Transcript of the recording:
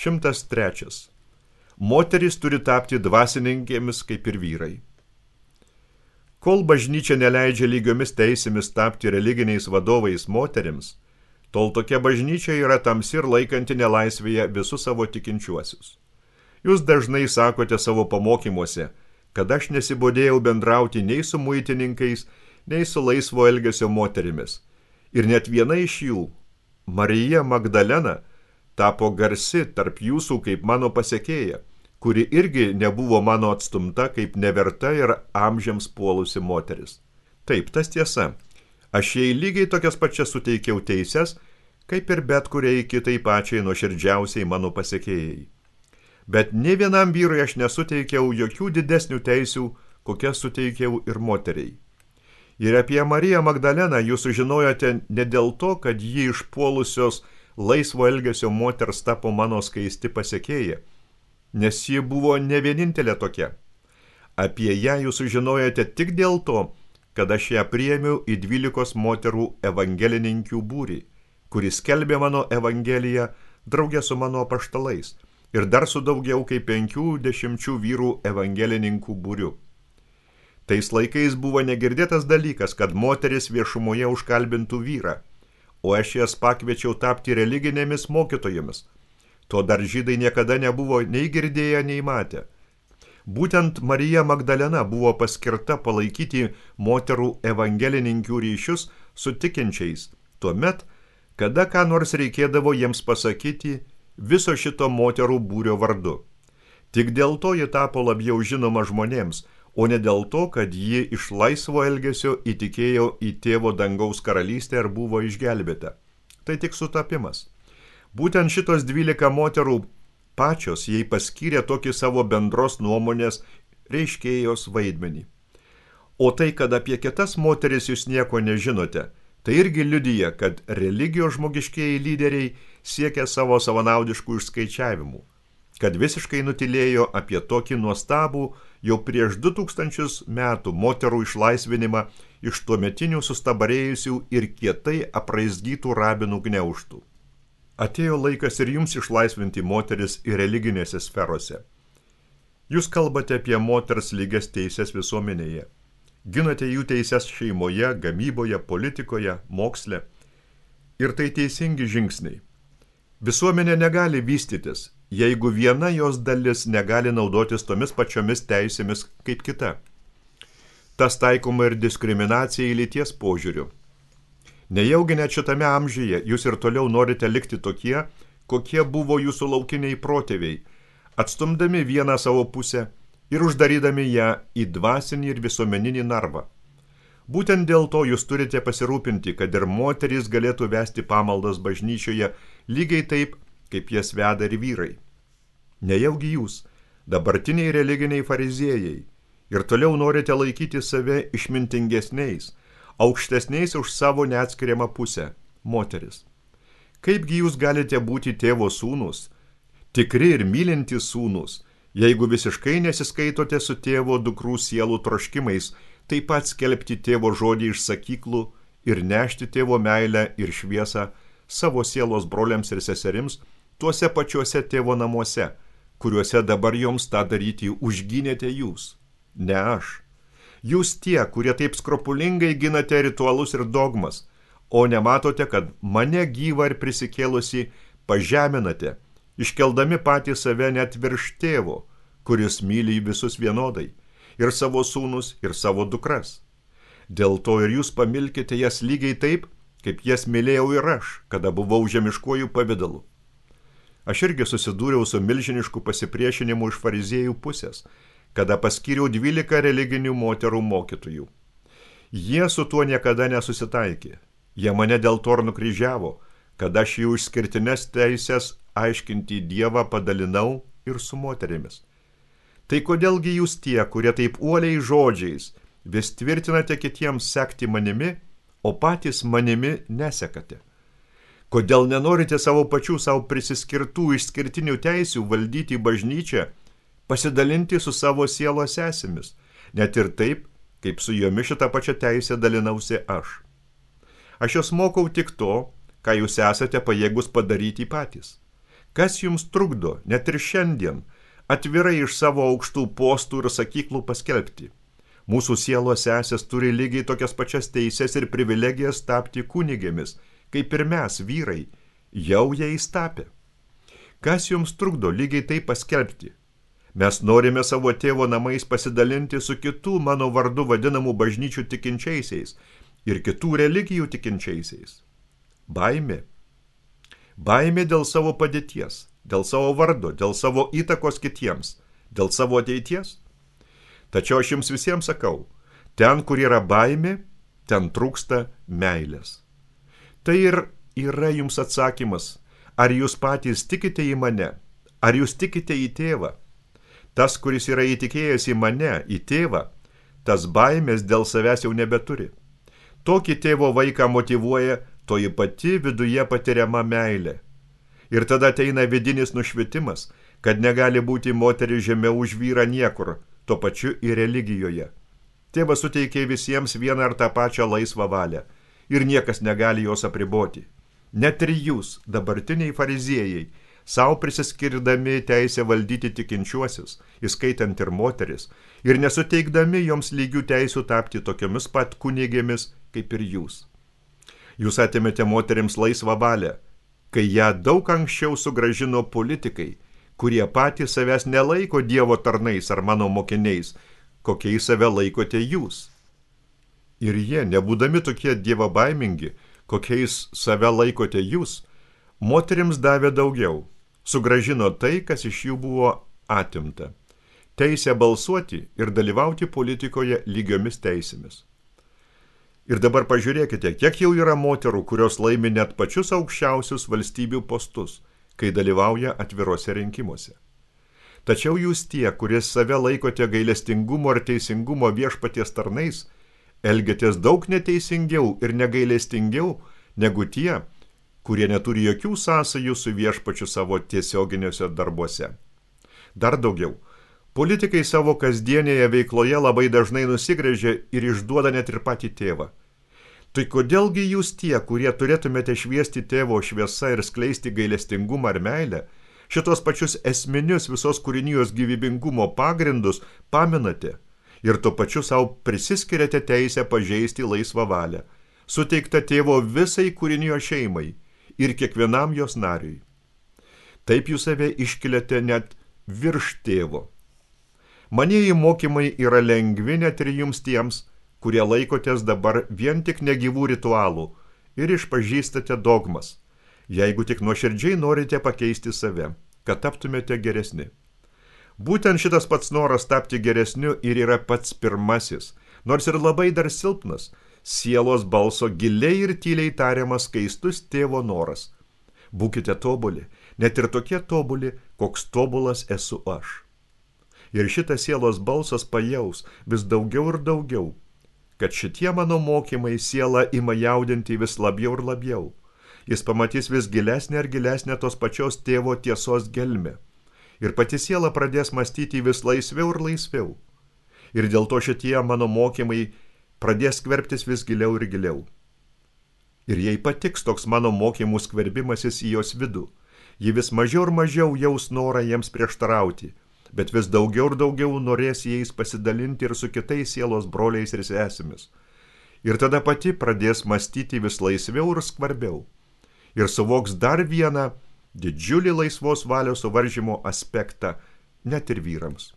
103. Moterys turi tapti dvasininkėmis kaip ir vyrai. Kol bažnyčia neleidžia lygiomis teisėmis tapti religiniais vadovais moterims, tol tokia bažnyčia yra tamsi ir laikanti nelaisvėje visus savo tikinčiuosius. Jūs dažnai sakote savo pamokymuose, kad aš nesibodėjau bendrauti nei su muitininkais, nei su laisvo elgesio moterimis. Ir net viena iš jų, Marija Magdalena, tapo garsi tarp jūsų kaip mano pasekėja, kuri irgi nebuvo mano atstumta kaip neverta ir amžiams puolusi moteris. Taip, tas tiesa. Aš jai lygiai tokias pačias suteikiau teises, kaip ir bet kuriai kitai pačiai nuoširdžiausiai mano pasekėjai. Bet ne vienam vyrui aš nesuteikiau jokių didesnių teisių, kokias suteikiau ir moteriai. Ir apie Mariją Magdaleną jūs sužinojote ne dėl to, kad ji išpuolusios laisvo elgesio moters tapo mano skaisti pasekėja, nes ji buvo ne vienintelė tokia. Apie ją jūs sužinojote tik dėl to, kad aš ją priėmiau į 12 moterų evangelininkių būrį, kuris skelbė mano evangeliją draugė su mano apaštalais ir dar su daugiau kaip 50 vyrų evangelininkų būriu. Tais laikais buvo negirdėtas dalykas, kad moteris viešumoje užkalbintų vyrą, o aš jas pakviečiau tapti religinėmis mokytojomis. To dar žydai niekada nebuvo nei girdėję, nei matę. Būtent Marija Magdalena buvo paskirta palaikyti moterų evangelininkių ryšius su tikinčiais, tuomet, kada ką nors reikėdavo jiems pasakyti viso šito moterų būrio vardu. Tik dėl to ji tapo labiau žinoma žmonėms, o ne dėl to, kad ji iš laisvo elgesio įtikėjo į tėvo dangaus karalystę ir buvo išgelbėta. Tai tik sutapimas. Būtent šitos 12 moterų pačios jai paskyrė tokį savo bendros nuomonės reiškėjos vaidmenį. O tai, kad apie kitas moteris jūs nieko nežinote, tai irgi liudija, kad religijos žmogiškieji lyderiai siekia savo savanaudiškų išskaičiavimų, kad visiškai nutilėjo apie tokį nuostabų jau prieš 2000 metų moterų išlaisvinimą iš tuometinių sustabarėjusių ir kietai apraizgytų rabinų gniaužtų. Atėjo laikas ir jums išlaisvinti moteris ir religinėse sferose. Jūs kalbate apie moters lygias teises visuomenėje. Ginate jų teises šeimoje, gamyboje, politikoje, moksle. Ir tai teisingi žingsniai. Visuomenė negali vystytis, jeigu viena jos dalis negali naudotis tomis pačiomis teisėmis kaip kita. Tas taikoma ir diskriminacijai lyties požiūriu. Nejaugi net šitame amžiuje jūs ir toliau norite likti tokie, kokie buvo jūsų laukiniai protėviai, atstumdami vieną savo pusę ir uždarydami ją į dvasinį ir visuomeninį narvą. Būtent dėl to jūs turite pasirūpinti, kad ir moterys galėtų vesti pamaldas bažnyčioje lygiai taip, kaip jas veda ir vyrai. Nejaugi jūs, dabartiniai religiniai fariziejai, ir toliau norite laikyti save išmintingesniais, aukštesniais už savo neatskiriamą pusę, moteris. Kaipgi jūs galite būti tėvo sūnus, tikri ir mylintys sūnus, jeigu visiškai nesiskaitote su tėvo dukrų sielų troškimais, taip pat skelbti tėvo žodį iš sakyklų ir nešti tėvo meilę ir šviesą savo sielos broliams ir seserims tuose pačiuose tėvo namuose, kuriuose dabar joms tą daryti užgynėte jūs, ne aš. Jūs tie, kurie taip skrupulingai ginate ritualus ir dogmas, o nematote, kad mane gyvą ir prisikėlusi pažeminate, iškeldami patį save net virš tėvo, kuris myli visus vienodai, ir savo sūnus, ir savo dukras. Dėl to ir jūs pamilkite jas lygiai taip, kaip jas mylėjau ir aš, kada buvau žemiškuoju pavidalu. Aš irgi susidūriau su milžinišku pasipriešinimu iš fariziejų pusės, kada paskyriau 12 religinių moterų mokytojų. Jie su tuo niekada nesusitaikė. Jie mane dėl to ir nukryžiavo, kad aš jų išskirtines teises aiškinti Dievą padalinau ir su moterimis. Tai kodėlgi jūs tie, kurie taip uoliai žodžiais vis tvirtinate kitiems sekti manimi, o patys manimi nesekate? Kodėl nenorite savo pačių savo prisiskirtų išskirtinių teisių valdyti bažnyčią, pasidalinti su savo sielos sesėmis, net ir taip, kaip su jomis šitą pačią teisę dalinausi aš. Aš jos mokau tik to, ką jūs esate pajėgus padaryti patys. Kas jums trukdo, net ir šiandien, atvirai iš savo aukštų postų ir sakyklų paskelbti? Mūsų sielos sesės turi lygiai tokias pačias teises ir privilegijas tapti kunigėmis, kaip ir mes, vyrai, jau jais tapę. Kas jums trukdo lygiai tai paskelbti? Mes norime savo tėvo namais pasidalinti su kitų mano vardu vadinamų bažnyčių tikinčiaisiais ir kitų religijų tikinčiaisiais. Baimė. Baimė dėl savo padėties, dėl savo vardo, dėl savo įtakos kitiems, dėl savo ateities. Tačiau aš jums visiems sakau, ten, kur yra baimė, ten trūksta meilės. Tai ir yra jums atsakymas, ar jūs patys tikite į mane, ar jūs tikite į tėvą. Tas, kuris yra įtikėjęs į mane, į tėvą, tas baimės dėl savęs jau nebeturi. Tokį tėvo vaiką motyvuoja toji pati viduje patiriama meilė. Ir tada ateina vidinis nušvitimas, kad negali būti moteris žemiau už vyrą niekur, tuo pačiu ir religijoje. Tėvas suteikė visiems vieną ar tą pačią laisvą valią ir niekas negali jos apriboti. Net ir jūs, dabartiniai fariziejai, savo prisiskirdami teisę valdyti tikinčiuosius, įskaitant ir moteris, ir nesuteikdami joms lygių teisių tapti tokiomis pat kunigėmis kaip ir jūs. Jūs atėmėte moterims laisvą valią, kai ją daug anksčiau sugrąžino politikai, kurie patys savęs nelaiko Dievo tarnais ar mano mokiniais, kokiais save laikote jūs. Ir jie, nebūdami tokie dievobaimingi, kokiais save laikote jūs, moterims davė daugiau, sugrąžino tai, kas iš jų buvo atimta. Teisę balsuoti ir dalyvauti politikoje lygiomis teisėmis. Ir dabar pažiūrėkite, kiek jau yra moterų, kurios laimi net pačius aukščiausius valstybių postus, kai dalyvauja atvirose rinkimuose. Tačiau jūs tie, kuris save laikote gailestingumo ir teisingumo viešpaties tarnais, elgiatės daug neteisingiau ir negailestingiau negu tie, kurie neturi jokių sąsajų su viešpačiu savo tiesioginiuose darbuose. Dar daugiau, politikai savo kasdienėje veikloje labai dažnai nusigręžia ir išduoda net ir patį tėvą. Tai kodėlgi jūs tie, kurie turėtumėte šviesti tėvo šviesą ir skleisti gailestingumą ar meilę, šitos pačius esminius visos kūrinijos gyvybingumo pagrindus paminate ir tuo pačiu savo prisiskiriate teisę pažeisti laisvą valią, suteiktą tėvo visai kūrinijos šeimai ir kiekvienam jos nariui. Taip jūs save iškeliate net virš tėvo. Manieji mokymai yra lengvi net ir jums tiems, kurie laikotės dabar vien tik negyvų ritualų ir išpažįstate dogmas, jeigu tik nuoširdžiai norite pakeisti save, kad taptumėte geresni. Būtent šitas pats noras tapti geresniu ir yra pats pirmasis, nors ir labai dar silpnas, sielos balso giliai ir tyliai tariamas skaistus tėvo noras. Būkite tobuli, net ir tokie tobuli, koks tobulas esu aš. Ir šitas sielos balsas pajaus vis daugiau ir daugiau, kad šitie mano mokymai sielą ima jaudinti vis labiau ir labiau. Jis pamatys vis gilesnę ir gilesnę tos pačios tėvo tiesos gelmę. Ir pati siela pradės mąstyti vis laisviau ir laisviau. Ir dėl to šitie mano mokymai pradės skverbtis vis giliau ir giliau. Ir jai patiks toks mano mokymų skverbimasis į jos vidų. Ji vis mažiau ir mažiau jaus norą jiems prieštarauti, bet vis daugiau ir daugiau norės jais pasidalinti ir su kitais sielos broliais ir sesėmis. Ir tada pati pradės mąstyti vis laisviau ir skvarbiau. Ir suvoks dar vieną didžiulį laisvos valios suvaržymo aspektą net ir vyrams.